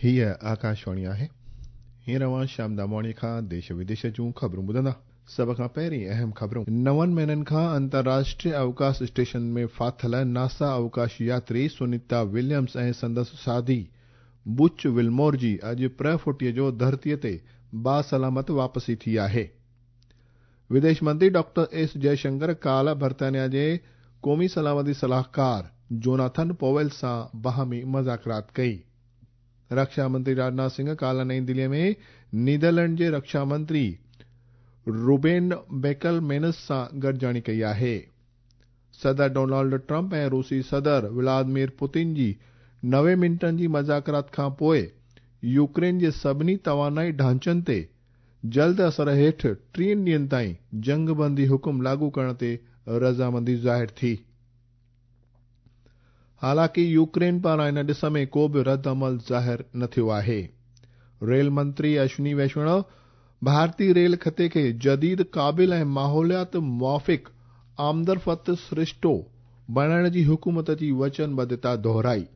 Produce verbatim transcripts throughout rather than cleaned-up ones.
हीअ आकाशवाणी आहे। हींअर अव्हां श्याम दामवाणी खां देश विदेश जूं ख़बरूं ॿुधंदा। सभ खां पहिरीं अहम ख़बरूं। नवनि महीननि खां अंतर्राष्ट्रीय अवकाश स्टेशन में फाथल नासा अवकाश यात्री सुनीता विलियम्स ऐं संदसि साथी बुच विल्मोर जी अॼु प्रह फुटीअ जो धरतीअ ते बासलामत वापसी थी आहे। विदेश मंत्री डॉक्टर एस जयशंकर काल्ह बर्तानिया जे क़ौमी सलामती सलाहकार जोनाथन पोवेल सां बाहमी मुज़ाकरात कई। रक्षा मंत्री राजनाथ सिंह काल्ह नई दिल्लीअ में नीदरलैंड जे रक्षा मंत्री रूबेन बेकलमेनस सां गॾिजाणी कई आहे। सदर डोनाल्ड ट्रंप ऐं रूसी सदर व्लादिमीर पुतिन जी नवे मिंटनि जी मुज़ाकरात खां पोइ यूक्रेन जे सभिनी तवानाई ढांचनि ते जल्द असर हेठि टीहनि ॾींहनि ताईं जंगबंदी हुकुम लागू करण ते रज़ामंदी ज़ाहिर थी। हालांकि यूक्रेन पारां इन ॾिस में को बि रद्द अमल ज़ाहिर न थियो आहे। रेल मंत्री अश्विनी वैष्णव भारतीय रेल खिते खे जदीद, क़ाबिल ऐं माहौलियात मुआफ़िक़ आमदरफ़्त सरिश्तो बणाइण जी हुकूमत जी वचनबद्धता दोहराई।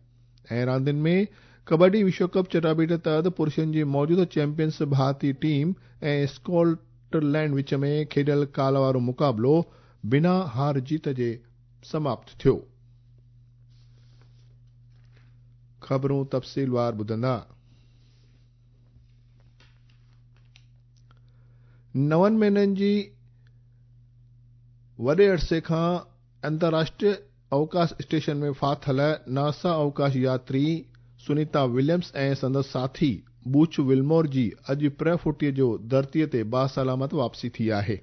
ऐं रांदियुनि में कबड्डी विश्व कप चटाबीट तहत पुरुषनि जी मौजूदा चैंपियंस भारतीय टीम ऐं स्कॉटलैंड विच में खेॾियल काल वारो मुक़ाबिलो बिना हार जीत जे समाप्त थियो। ख़बरूं तफ़सीलवार ॿुधंदा। नवनि महीननि जी वॾे अरसे खां अंतर्राष्ट्रीय अवकाश स्टेशन में फाथल नासा अवकाश यात्री सुनीता विलियम्स ऐं संदसि साथी बूच विल्मोर जी अॼु प्रह फुटीअ जो धरतीअ ते बासलामत वापसी थी आहे।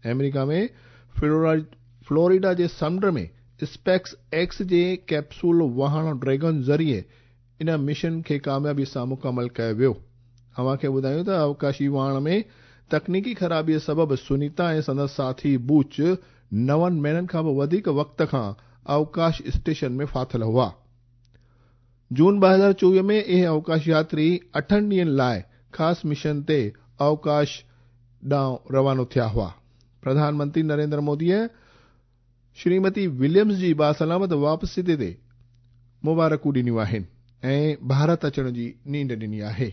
अमेरिका में फ्लोरिडा जे समुंड में स्पेस एक्स जे कैप्सूल वाहण ड्रैगन ज़रिए इन मिशन खे कामयाबी सां मुकमल कयो वियो। अव्हांखे ॿुधायूं त अवकाशी वाहण में तकनीकी ख़राबीअ सबबु सुनीता ऐं संदसि साथी बूच नवनि महीननि खां बि वधीक वक़्त खां अवकाश स्टेशन में फाथल हुआ। जून ॿ हज़ार चोवीह में इहे अवकाश यात्री अठनि ॾींहनि लाइ ख़ासि मिशन ते अवकाश ॾांहुं रवानो थिया हुआ। प्रधानमंत्री नरेंद्र मोदीअ श्रीमती विलियम्स जी बासलामत वापसी ते मुबारकूं ॾिनियूं आहिनि ऐं भारत अचण जी नींड ॾिनी आहे।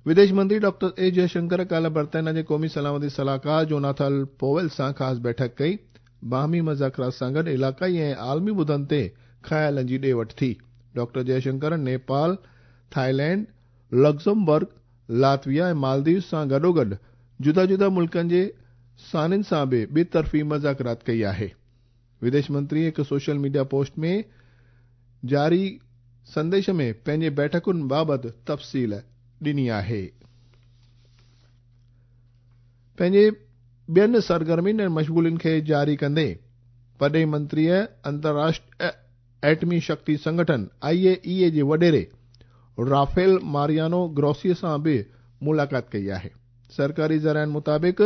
विदेश मंत्री डॉक्टर एस जयशंकर काल्ह बर्तानिया जे क़ौमी सलामती सलाहकार जोनाथन पोवेल सां ख़ासि बैठक कई। बाहमी मुज़ाकरात सां गॾु इलाक़ाई ऐं आलमी मुद्दनि ते ख़यालनि जी ॾे वठि थी। Doctor Jaishankar Nepal, Thailand, Luxembourg, Latvia ऐं मालदीव सां गॾोगॾु जुदा जुदा मुल्कनि जे सानियुनि सां बि ॿितरफ़ी मुज़ाकरात कई आहे। विदेश मंत्री हिकु सोशल मीडिया पोस्ट में जारी संदेश में पंहिंजे बैठकुनि बाबति तफ़सील ॾिनी आहे। पंहिंजे ॿियनि सरगर्मियुनि ऐं मशग़ूलियुनि खे जारी कंदे परॾेही मंत्रीअ अंतर्राष्ट्रीय एटमी शक्ति संगठन आई ए ई ए जे वॾेरे राफेल मारियानो ग्रोसी सां बि मुलाक़ात कई आहे। सरकारी ज़राइनि मुताबिक़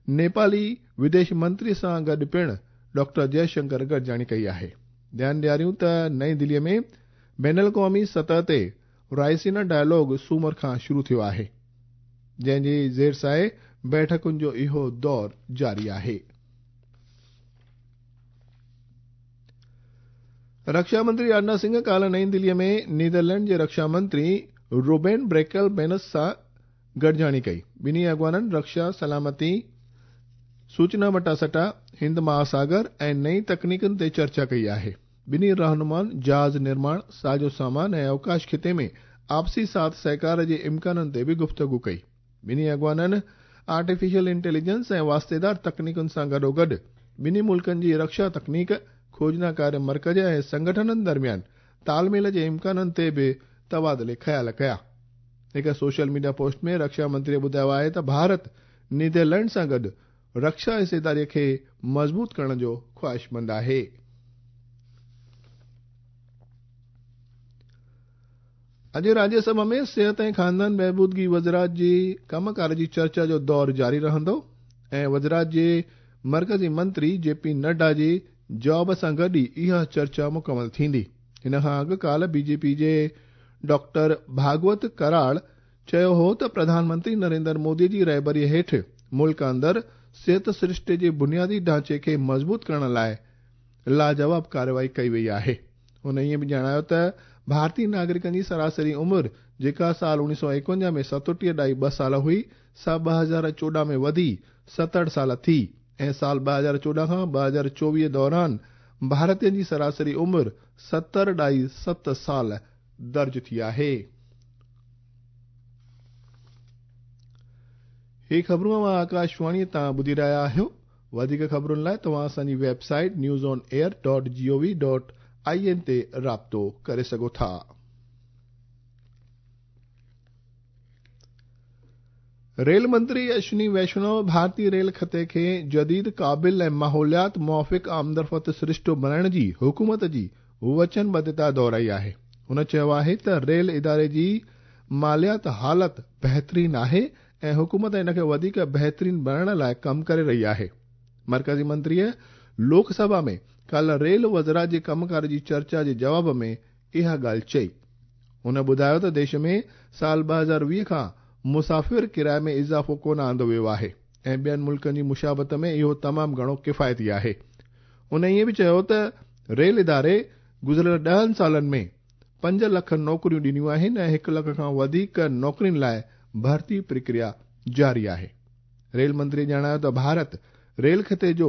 नेपाली विदेश मंत्री सां गॾु पिणु डॉक्टर जयशंकर गॾिजाणी कई आहे। ध्यानु ॾियारियूं त नई दिल्लीअ में बैनुल क़ौमी सतह ते रायसीना डायलॉग सूमर खां शुरू थियो आहे, जंहिंजी ज़ेर साए बैठकुनि जो इहो दौर जारी आहे। रक्षा मंत्री राजनाथ सिंह काल्ह नई दिल्लीअ में नीदरलैंड जे रक्षा मंत्री रूबेन ब्रेकल बेनस सां गॾिजाणी कई। ॿिन्ही अॻवाननि रक्षा, सलामती, सूचना मटासटा, हिंद महासागर ऐं नई तकनीकुनि ते चर्चा कई आहे। ॿिन्ही रहनुमाउनि जहाज़ निर्माण, साज़ो सामान ऐं अवकाश खिते में आपसी साथ सहकार जे इम्काननि ते बि गुफ़्तगू कई। ॿिन्ही अॻवाननि आर्टिफिशियल इंटेलिजेंस ऐं वास्तेदार तकनीकुनि सां गॾोगॾु ॿिन्ही मुल्कनि जी रक्षा तकनीक, खोजना कार्य मर्कज़ ऐं संगठननि दरमियान तालमेल जे इम्काननि ते बि तबादिले ख़्याल कया। हिकु सोशल मीडिया पोस्ट में रक्षा मंत्रीअ ॿुधायो आहे त भारत नीदरलैंड सां गॾु रक्षा हिस्सेदारीअ खे मज़बूत करण जो ख़्वाहिशमंद आहे। अॼु राज्यसभा में सिहत ऐं ख़ानदान बहबूदगी वज़ारत जी कमकार जी चर्चा जो दौर जारी रहंदो ऐं वज़ारत जे मर्कज़ी मंत्री जे पी नड्डा जी जवाब सां गॾु ई इहा चर्चा मुकमल थींदी। हिन खां अॻु काल्ह बीजेपी जे डॉक्टर भागवत कराड़ चयो हो त प्रधानमंत्री नरेंद्र मोदी जी रहबरीअ हेठि मुल्क अंदरि सिहत सृष्टि जे बुनियादी ढांचे खे मज़बूत करण लाइ लाजवाब कार्रवाई कई वई आहे। हुन ईअं बि ॼाणायो त भारतीय नागरिकनि जी सरासरी उमिरि जेका साल उणिवीह सौ एकवंजाह में सतटीह ॾाई ॿ साल हुई, सा ॿ हज़ार चोॾहं में वधी सतहठि साल थी ऐं साल ॿ हज़ार चोॾहं खां ॿ हज़ार चोवीह दौरान भारतीयनि जी सरासरी उमिरि सतरि ॾाई सत साल दर्ज थी आहे। ही ख़बरूं अव्हां आकाशवाणी तां ॿुधी रहिया आहियो। वधीक ख़बरुनि लाइ तव्हां असांजी website news on air dot G O V dot I N ते राब्तो करे सघो था। रेल मंत्री अश्विनी वैष्णव भारतीय रेल खते खे जदीद, क़ाबिल ऐं माहौलियात मुआफ़िक़ आमदरफ़्त सरिश्तो बणाइण जी हुकूमत जी वचनबद्धता दोहराई आहे। हुन चयो आहे त रेल इदारे जी मालियात हालत बहितरीन आहे ऐं हुकूमत इन खे वधीक बहितरीन बणाइण लाइ कमु करे रही आहे। मर्कज़ी मंत्रीअ लोकसभा में काल्ह रेल वज़रा जे कमकार जी चर्चा जे जवाब में इहा ॻाल्हि चई। हुन ॿुधायो त देश में साल ॿ हज़ार वीह खां मुसाफ़िर किराए में इज़ाफ़ो कोन आंदो वियो आहे ऐं ॿियनि मुल्कनि जी मुशाबत में इहो तमामु घणो किफ़ायती आहे। हुन ईअं बि चयो त रेल इदारे गुज़िरियल ॾहनि सालनि में पंज लख नौकरियूं ॾिनियूं आहिनि ऐं हिकु लख खां वधीक नौकरियुनि लाइ भर्ती प्रक्रिया जारी आहे। रेल मंत्री ॼाणायो त भारत रेल खिते जो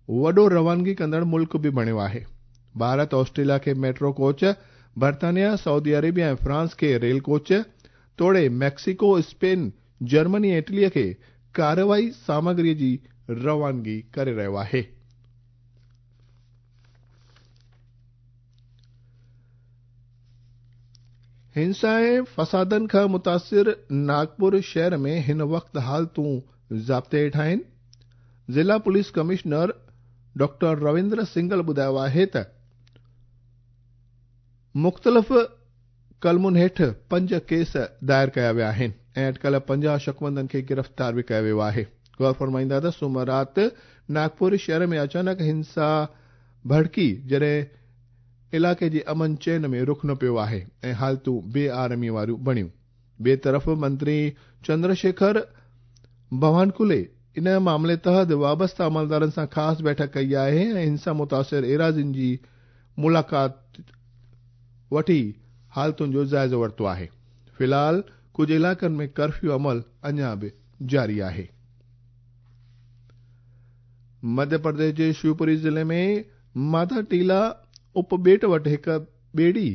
वॾो रवानगी कंदड़ मुल्क बि बणियो आहे। भारत ऑस्ट्रेलिया खे मेट्रो कोच, बर्तानिया, सऊदी अरेबिया ऐं फ्रांस खे रेल कोच तोड़े मैक्सिको, स्पेन, जर्मनी ऐं इटलीअ खे कार्रवाई सामग्रीअ जी रवानगी करे रहियो आहे। हिंसा ऐं फसादनि खां मुतासिर नागपुर शहर में हिन वक़्तु हालतूं ज़ाब्ते हेठि आहिनि। ज़िला police commissioner doctor Ravindra Singhal ॿुधायो आहे त मुख़्तलिफ़ कलमुनि हेठि पंज केस दायर कया विया आहिनि ऐं अटकल पंजाह शकमंदनि खे गिरफ़्तार बि कयो वियो आहे। गौर फरमाईंदा त सोमर राति नागपुर शहर में अचानक हिंसा भड़की, जॾहिं इलाइक़े जे अमन चैन में रुख न पियो आहे ऐं हालतूं बेआरामी वारियूं बणियूं। ॿिए तरफ़ मंत्री चंद्रशेखर बवानकुले इन मामले तहत वाबस्ता अमलदारनि सां ख़ासि बैठक कई आहे ऐं हिंसा मुतासिर एराज़ियुनि जी मुलाक़ात वठी हालतुनि जो जाइज़ो वरितो आहे। फ़िलहाल कुझु इलाइक़नि में कर्फ्यू अमल अञा बि जारी आहे। मध्य प्रदेश जे शिवपुरी ज़िले में माता टीला उपॿेट वटि हिकु ॿेड़ी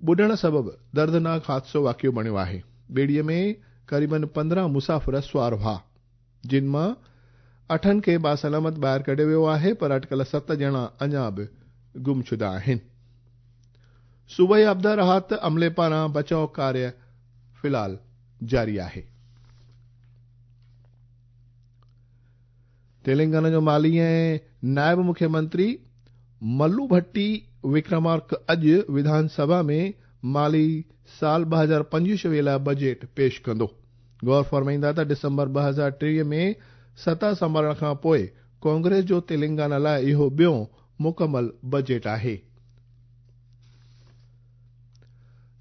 ॿुॾण सबबु दर्दनाक हादिसो वाक़ियो बणियो आहे। ॿेड़ीअ में क़रीबन पंद्रहं मुसाफ़िर सुवार हुआ, जिन मां अठनि खे बासलामत ॿाहिरि कढियो वियो आहे, पर अटकल सत ॼणा अञा बि गुमशुदा आहिनि। सूबाई आपदा राहत अमले पारां बचाव कार्य फ़िलहाल जारी आहे। तेलंगाना जो माली ऐं नायब मुख्यमंत्री मल्लू भट्टी विक्रमार्क अॼु विधानसभा में माली साल ॿ हज़ार पंजवीह लाइ बजट पेश कंदो। गौर फरमाईंदा त डिसंबर ॿ हज़ार टेवीह में सता संभालण खां पोइ कांग्रेस जो तेलंगाना लाइ इहो ॿियो मुकमल बजट आहे।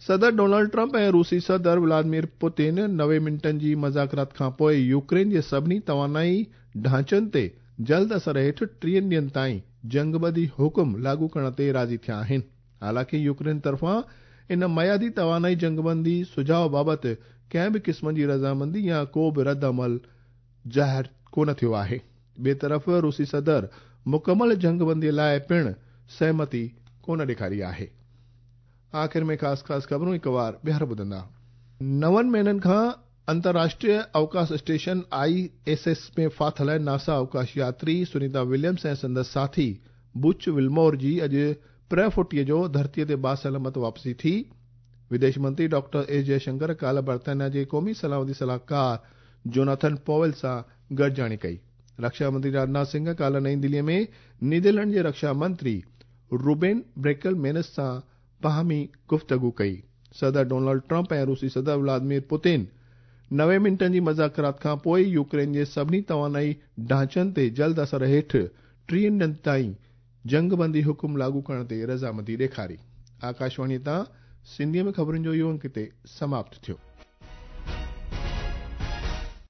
सदर डोनाल्ड ट्रंप ऐं रूसी सदर व्लादिमीर पुतिन नवे मिंटनि जी मज़ाकरात खां पोइ यूक्रेन जे सभिनी तवानाई ढांचनि ते जल्द असर हेठि टीहनि ॾींहनि ताईं जंगबंदी हुकुम लागू करण ते राज़ी थिया आहिनि। हालांकि यूक्रेन तरफ़ां इन मयादी तवानाई जंगबंदी सुझाव बाबति कंहिं बि क़िस्म जी रज़ामंदी या को बि रद्द अमल ज़ाहिर कोन थियो आहे। ॿिए तरफ़ रूसी सदर मुकमल जंगबंदी लाइ पिणु सहमति कोन ॾेखारी आहे। आख़िर में ख़ासि ख़ासि ख़बरूं हिकु वार ॿीहर ॿुधंदा। नवनि महीननि खां अंतर्राष्ट्रीय अवकाश स्टेशन I S S में फाथिल नासा अवकाश यात्री सुनीता विलियम्स ऐं संदसि साथी बुच विल्मोर जी अॼु प्रह फुटीअ जो धरतीअ ते बासलामत वापसी थी। विदेश मंत्री डॉक्टर एस जयशंकर काल्ह बर्तानिया जे क़ौमी सलामती सलाहकार जोनाथन पॉवेल सां गॾिजाणी कई। रक्षा मंत्री राजनाथ सिंह काल्ह नई दिल्लीअ में नीदरलैंड जे रक्षा मंत्री रूबेन ब्रेकल मेनस सां बाहमी गुफ़्तगू कई। सदर डोनाल्ड ट्रंप ऐं रूसी सदर व्लादिमीर पुतिन नवे मिंटनि जी मज़ाकरात खां पोइ यूक्रेन जे सभिनी तवानाई ढांचनि ते जल्द असर हेठि टीहनि ॾींहनि ताईं जंगबंदी हुकुम लागू करण ते रज़ामंदी ॾेखारी। आकाशवाणी तां सिंधीअ में ख़बरुनि जो इहो अंक हिते समाप्त थियो।